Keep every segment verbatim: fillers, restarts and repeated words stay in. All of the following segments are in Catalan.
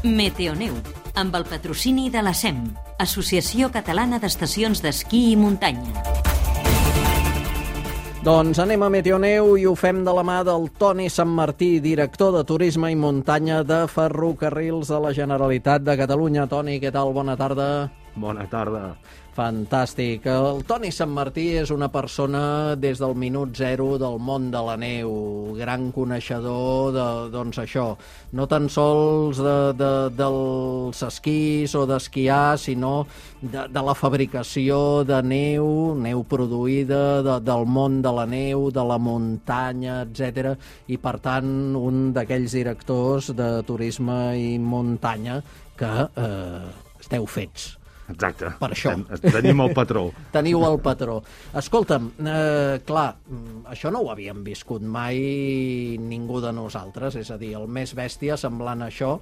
Meteoneu, amb el patrocini de la S E M, Associació Catalana d'Estacions d'Esquí i Muntanya. Doncs anem a Meteoneu i ho fem de la mà del Toni Santmartí, director de Turisme i Muntanya de Ferrocarrils de la Generalitat de Catalunya. Toni, què tal? Bona tarda. Bona tarda. Fantàstic. El Toni Santmartí és una persona des del minut zero del món de la neu, gran coneixedor de, doncs això, no tan sols de, de, dels esquís o d'esquiar, sinó de, de la fabricació de neu, neu produïda, de, del món de la neu, de la muntanya, etcètera. I, per tant, un d'aquells directors de turisme i muntanya que eh, esteu fets. Exacte. Per això. Tenim el patró. Teniu el patró. Escolta'm, eh, clar, això no ho havíem viscut mai ningú de nosaltres, és a dir, el més bèstia semblant a això,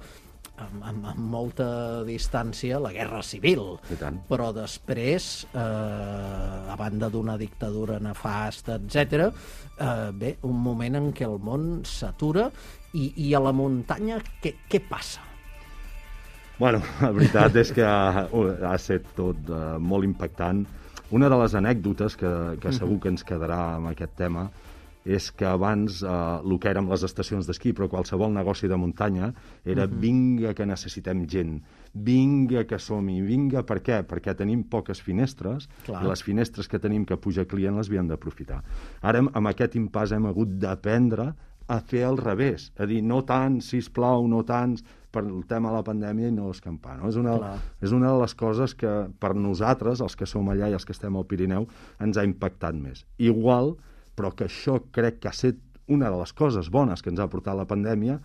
amb, amb, amb molta distància, la Guerra Civil. I tant. Però després, eh, a banda d'una dictadura nefasta, etcètera, eh, bé, un moment en què el món s'atura i, i a la muntanya què, què passa? Bueno, la veritat és que ha, ha estat tot uh, molt impactant. Una de les anècdotes que, que segur que ens quedarà amb aquest tema és que abans uh, el que érem les estacions d'esquí, però qualsevol negoci de muntanya, era vinga que necessitem gent, vinga que som-hi, vinga per què? Perquè tenim poques finestres. Clar. I les finestres que tenim que puja client les havíem d'aprofitar. Ara, amb aquest impàs, hem hagut d'aprendre a fer al revés, a dir, no tant, sisplau, no tants, per el tema de la pandèmia i no escampar. No? És, una, és una de les coses que per nosaltres, els que som allà i els que estem al Pirineu, ens ha impactat més. Igual, però que això crec que ha estat una de les coses bones que ens ha portat la pandèmia,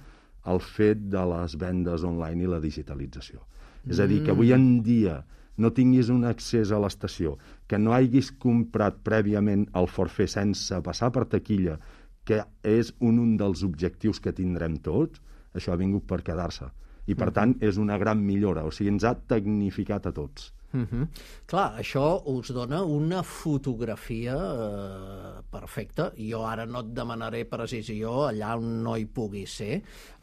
el fet de les vendes online i la digitalització. Mm. És a dir, que avui en dia no tinguis un accés a l'estació, que no hagis comprat prèviament el forfait sense passar per taquilla, que és un, un dels objectius que tindrem tots, això ha vingut per quedar-se. I, per tant, és una gran millora. O sigui, ens ha tecnificat a tots. Uh-huh. Clar, això us dona una fotografia eh, perfecta. Jo ara no et demanaré precisió allà on no hi pugui ser,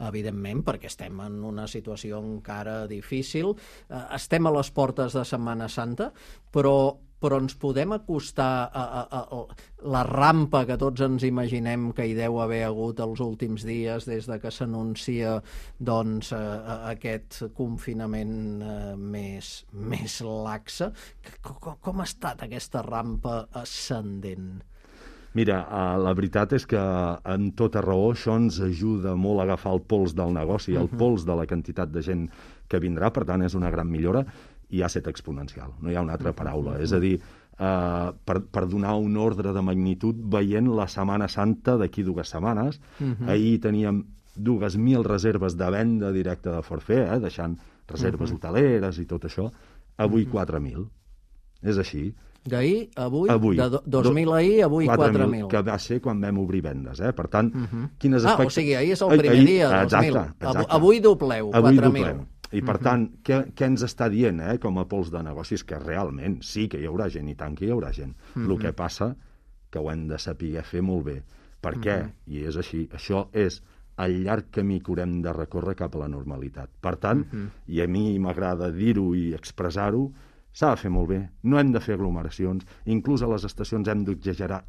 evidentment, perquè estem en una situació encara difícil. Eh, estem a les portes de Setmana Santa, però però ens podem acostar a, a, a, a la rampa que tots ens imaginem que hi deu haver hagut els últims dies des de que s'anuncia doncs, a, a aquest confinament eh, més, més laxe. Com, com ha estat aquesta rampa ascendent? Mira, la veritat és que amb tota raó això ens ajuda molt a agafar el pols del negoci, el pols de la quantitat de gent que vindrà, per tant és una gran millora. I ha estat exponencial, no hi ha una altra paraula. És a dir, eh, per, per donar un ordre de magnitud, veient la Setmana Santa d'aquí dues setmanes, uh-huh. ahir teníem dues mil reserves de venda directa de forfait, eh, deixant reserves uh-huh. hoteleres i tot això, avui uh-huh. quatre mil. És així. D'ahir, avui, avui, de dos mil ahir, avui quatre mil. Que va ser quan vam obrir vendes, eh? Per tant, uh-huh. quines ah, expect... o sigui, ahir és el primer ahir, dia, dos mil. Exacte, exacte. Avui dobleu, quatre mil. I, per tant, què, què ens està dient, eh, com a pols de negocis? Que realment sí que hi haurà gent, i tant que hi haurà gent. Mm-hmm. El que passa que ho hem de saber fer molt bé. Per què? Mm-hmm. I és així. Això és el llarg camí que haurem de recórrer cap a la normalitat. Per tant, mm-hmm. i a mi m'agrada dir-ho i expressar-ho, s'ha de fer molt bé. No hem de fer aglomeracions. Inclús a les estacions hem d'exagerar,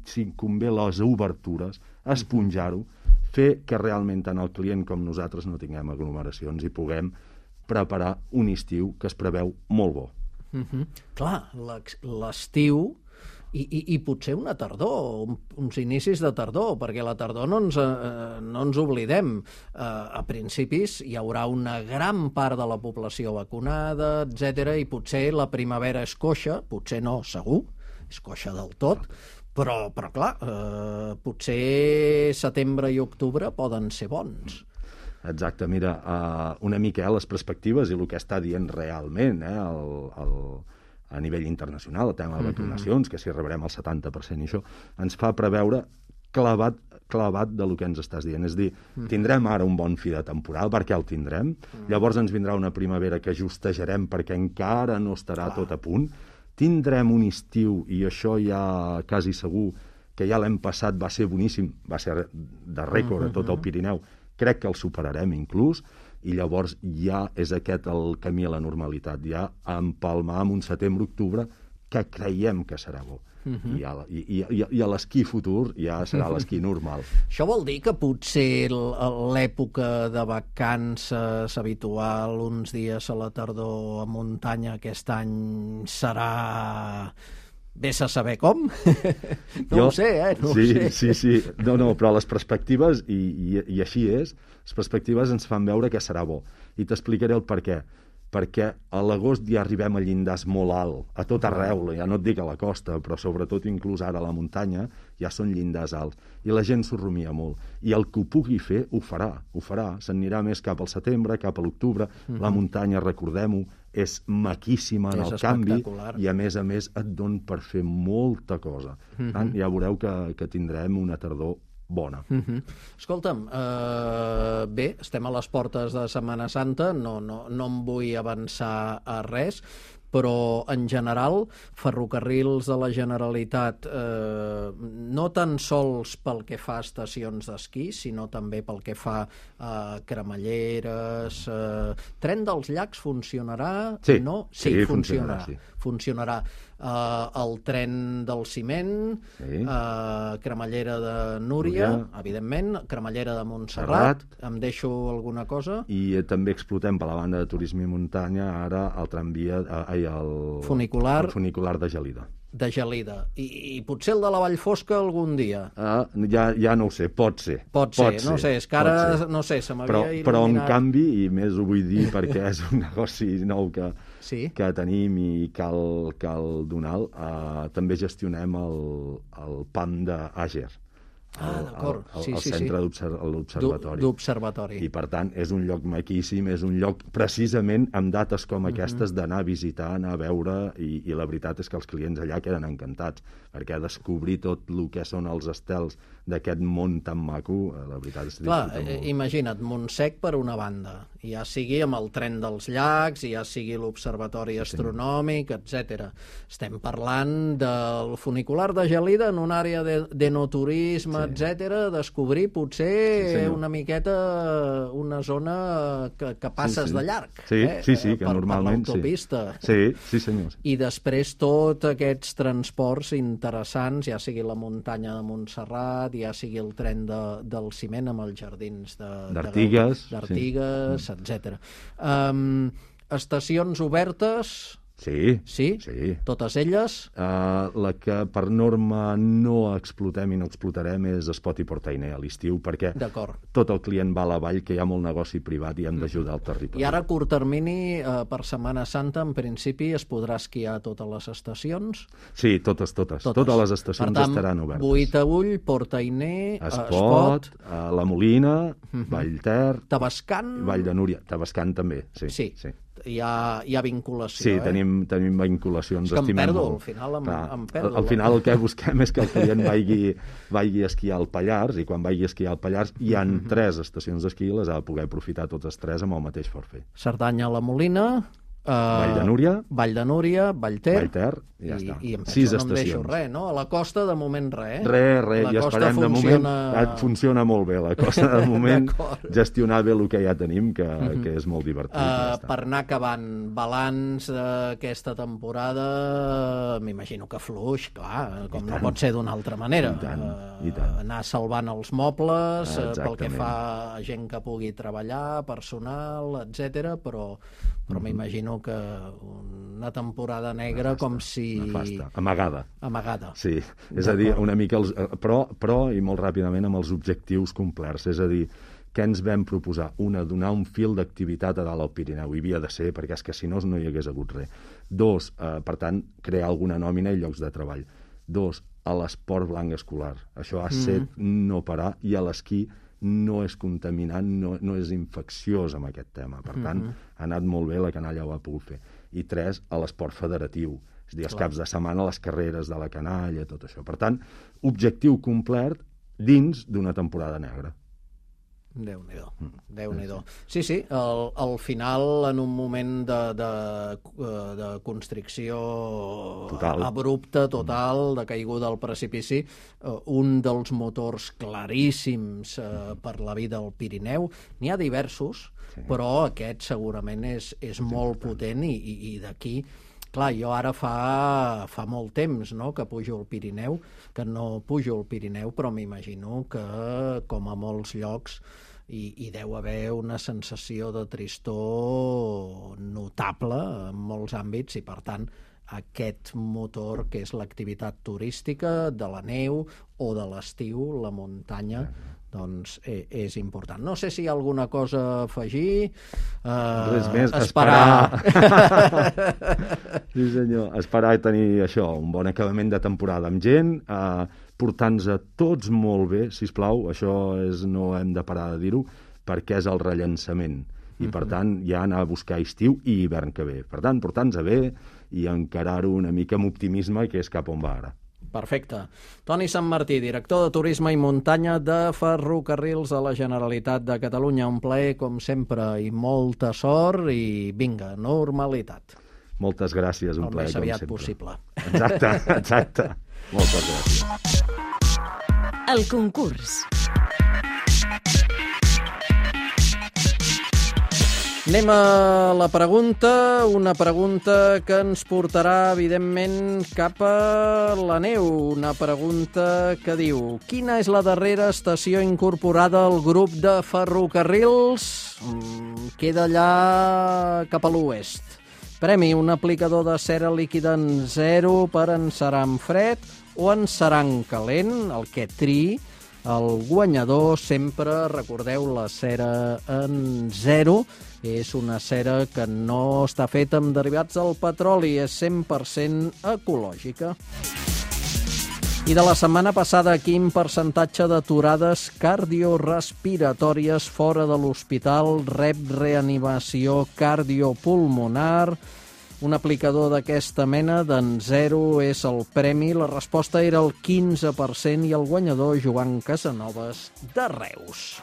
si convé les obertures, esponjar-ho, fer que realment tant el client com nosaltres no tinguem aglomeracions i puguem preparar un estiu que es preveu molt bo. Uh-huh. Clar, l'estiu i, i, i potser una tardor, un, uns inicis de tardor, perquè la tardor no ens, eh, no ens oblidem. Eh, a principis hi haurà una gran part de la població vacunada, etcètera, i potser la primavera és coixa, potser no, segur, és coixa del tot, però, però clar, eh, potser setembre i octubre poden ser bons. Exacte, mira, uh, una mica eh, les perspectives i el que està dient realment eh, el, el, a nivell internacional, el tema de vacunacions, mm-hmm. que si rebrem el setanta per cent i això, ens fa preveure clavat, clavat de lo que ens estàs dient. És a dir, mm-hmm. tindrem ara un bon fi de temporal, perquè el tindrem, mm-hmm. llavors ens vindrà una primavera que justejarem perquè encara no estarà Clar. Tot a punt, tindrem un estiu, i això ja quasi segur que ja l'hem passat, va ser boníssim, va ser de rècord a tot el Pirineu, crec que el superarem inclús, i llavors ja és aquest el camí a la normalitat, ja empalmar amb un setembre-octubre que creiem que serà bo. Uh-huh. I, a, i, i, i a l'esquí futur ja serà l'esquí normal. Això vol dir que potser l'època de vacances habitual, uns dies a la tardor a muntanya, aquest any serà... Vés a saber com? No jo, ho sé, eh? No sí, ho sé. sí, sí. No, no, però les perspectives, i, i, i així és, les perspectives ens fan veure que serà bo. I t'explicaré el per què. Perquè a l'agost ja arribem a llindars molt alt, a tot arreu, ja no et dic a la costa, però sobretot inclús ara a la muntanya, ja són llindars alts. I la gent s'ho rumia molt. I el que ho pugui fer, ho farà, ho farà. Se'n més cap al setembre, cap a l'octubre. Uh-huh. La muntanya, recordem-ho, és maquíssima en és el canvi i, a més a més, et don per fer molta cosa. Uh-huh. Tant, ja veureu que, que tindrem una tardor bona. Uh-huh. Escolta'm, uh, bé, estem a les portes de Setmana Santa, no, no, no em vull avançar a res, però en general, Ferrocarrils de la Generalitat, eh, no tan sols pel que fa a estacions d'esquí, sinó també pel que fa a cremalleres... Eh, Tren dels Llacs funcionarà? Sí, no? sí, sí funcionarà. funcionarà. Sí. funcionarà. Uh, el tren del ciment, sí. uh, cremallera de Núria, Núria, evidentment, cremallera de Montserrat, Serrat. Em deixo alguna cosa? I eh, també explotem per la banda de turisme i muntanya ara el tramvia, eh, el, funicular, el funicular de Gelida. De Gelida. I, i potser el de la Vallfosca algun dia? Uh, ja, ja no ho sé, pot ser. Pot, pot ser, ser, no sé, és que ara, no sé, se m'havia il·luminat... Però en canvi, i més ho vull dir perquè és un negoci nou que, sí? que tenim i cal, cal donar, uh, també gestionem el, el P A M d'Àger. Ah, d'acord. El, sí, el sí, centre sí. d'observatori. D'observatori. I, per tant, és un lloc maquíssim, és un lloc precisament amb dates com aquestes d'anar a visitar, anar a veure, i, i la veritat és que els clients allà queden encantats, perquè descobrir tot el que són els estels d'aquest món tan maco, la veritat és que Clar, disfruta molt. Imagina't, Montsec per una banda, ja sigui amb el tren dels llacs, ja sigui l'observatori sí, astronòmic, sí. etcètera. Estem parlant del funicular de Gelida en una àrea de, d'enoturisme, sí. etcètera, descobrir potser sí, una miqueta una zona que, que passes sí, sí. de llarg. Sí, eh? sí, sí, que per, normalment per l'autopista. Sí, sí, senyors. I després tots aquests transports interessants, ja sigui la muntanya de Montserrat, ja sigui el tren de, del ciment amb els jardins de, d'Artigues, d'Artigues, sí. etcètera. Um, estacions obertes... Sí, sí, sí. Totes elles? Uh, la que per norma no explotem i no explotarem és Espot i Portainer a l'estiu, perquè tot el client va a la vall, que hi ha molt negoci privat i hem d'ajudar el territori. I ara, a curt termini, uh, per Setmana Santa, en principi, es podrà esquiar a totes les estacions? Sí, totes, totes. Totes, totes les estacions per tant, estaran obertes. Boitaüll, Portainer, Espot, Espot uh, La Molina, uh-huh. Vallter... Tabascan... Vall de Núria. Tabascan també, sí. Sí. sí. Hi ha, hi ha vinculació, sí, eh? Sí, tenim, tenim vinculacions. És que em perdo, molt. al final em, Clar, em perdo. Al final el que busquem és que el client vagi, vagi a esquiar al Pallars, i quan vagi a esquiar al Pallars hi ha mm-hmm. tres estacions d'esquí, les ha de poder aprofitar totes tres amb el mateix forfait. Cerdanya, La Molina... Uh, Vall de Núria, Vall de Núria, Vallter, Vallter i ja i, està. I em penso, Sis no estacions. em deixo res, no? A la costa, de moment, res, eh? Res, res, la i esperem funciona... de moment... Funciona molt bé, la costa, de moment, gestionar bé el que ja tenim, que, mm-hmm. que és molt divertit. Uh, ja per anar acabant, balanç d'aquesta temporada, m'imagino que fluix, clar, com no pot ser d'una altra manera. I tant, uh, i tant. Anar salvant els mobles, uh, pel que Exactament. fa a gent que pugui treballar, personal, etcètera, però, però mm-hmm. m'imagino que una temporada negra nefasta, com si... Nefasta. Amagada. Amagada. Sí, és a dir, una mica... Els, però, però, i molt ràpidament, amb els objectius complerts. És a dir, què ens vam proposar? Una, donar un fil d'activitat a dalt al Pirineu. Hi havia de ser, perquè és que si no, no hi hagués hagut res. Dos, eh, per tant, crear alguna nòmina i llocs de treball. Dos, a l'esport blanc escolar. Això ha set mm. no parar, i a l'esquí no és contaminant, no, no és infecciós amb aquest tema. Per tant, mm-hmm. ha anat molt bé, la canalla ho ha pogut fer. I tres, a l'esport federatiu. És a dir, els Clar. caps de setmana, les carreres de la canalla, tot això. Per tant, objectiu complet dins d'una temporada negra. Déu-n'hi-do, Déu-n'hi-do. Sí, sí, al, al final, en un moment de, de, de constricció total. abrupta, total, de caiguda al precipici, un dels motors claríssims per la vida al Pirineu, n'hi ha diversos, sí. Però aquest segurament és, és molt potent i, i, i d'aquí... Clar, jo ara fa, fa molt temps, no?, que pujo al Pirineu, que no pujo al Pirineu, però m'imagino que, com a molts llocs, hi, hi deu haver una sensació de tristor notable en molts àmbits i, per tant, aquest motor que és l'activitat turística de la neu o de l'estiu, la muntanya, doncs és important. No sé si hi ha alguna cosa a afegir. Uh, Res més, esperar. esperar. Sí, senyor. Esperar i tenir això, un bon acabament de temporada amb gent, uh, portant-nos a tots molt bé, sisplau, això és, no hem de parar de dir-ho, perquè és el rellançament. I, per tant, ja anar a buscar estiu i hivern que ve. Per tant, portar-nos bé i encarar-ho una mica amb optimisme, que és cap on va ara. Perfecte. Toni Santmartí, director de Turisme i Muntanya de Ferrocarrils de la Generalitat de Catalunya. Un plaer, com sempre, i molta sort i vinga, normalitat. Moltes gràcies, un el plaer, més aviat com sempre. Possible. Exacte, exacte. Moltes gràcies. El concurs. Anem a la pregunta, una pregunta que ens portarà, evidentment, cap a la neu. Una pregunta que diu: quina és la darrera estació incorporada al grup de ferrocarrils? Mm, queda allà cap a l'oest. Premi: un aplicador de cera líquida en zero per encerar en fred o encerar en calent, el que triï. El guanyador, sempre recordeu, la cera en zero, és una cera que no està feta amb derivats del petroli, és cent per cent ecològica. I de la setmana passada, quin percentatge d'aturades cardiorespiratòries fora de l'hospital rep reanimació cardiopulmonar? Un aplicador d'aquesta mena d'en zero és el premi. La resposta era el quinze per cent i el guanyador, Joan Casanovas, de Reus.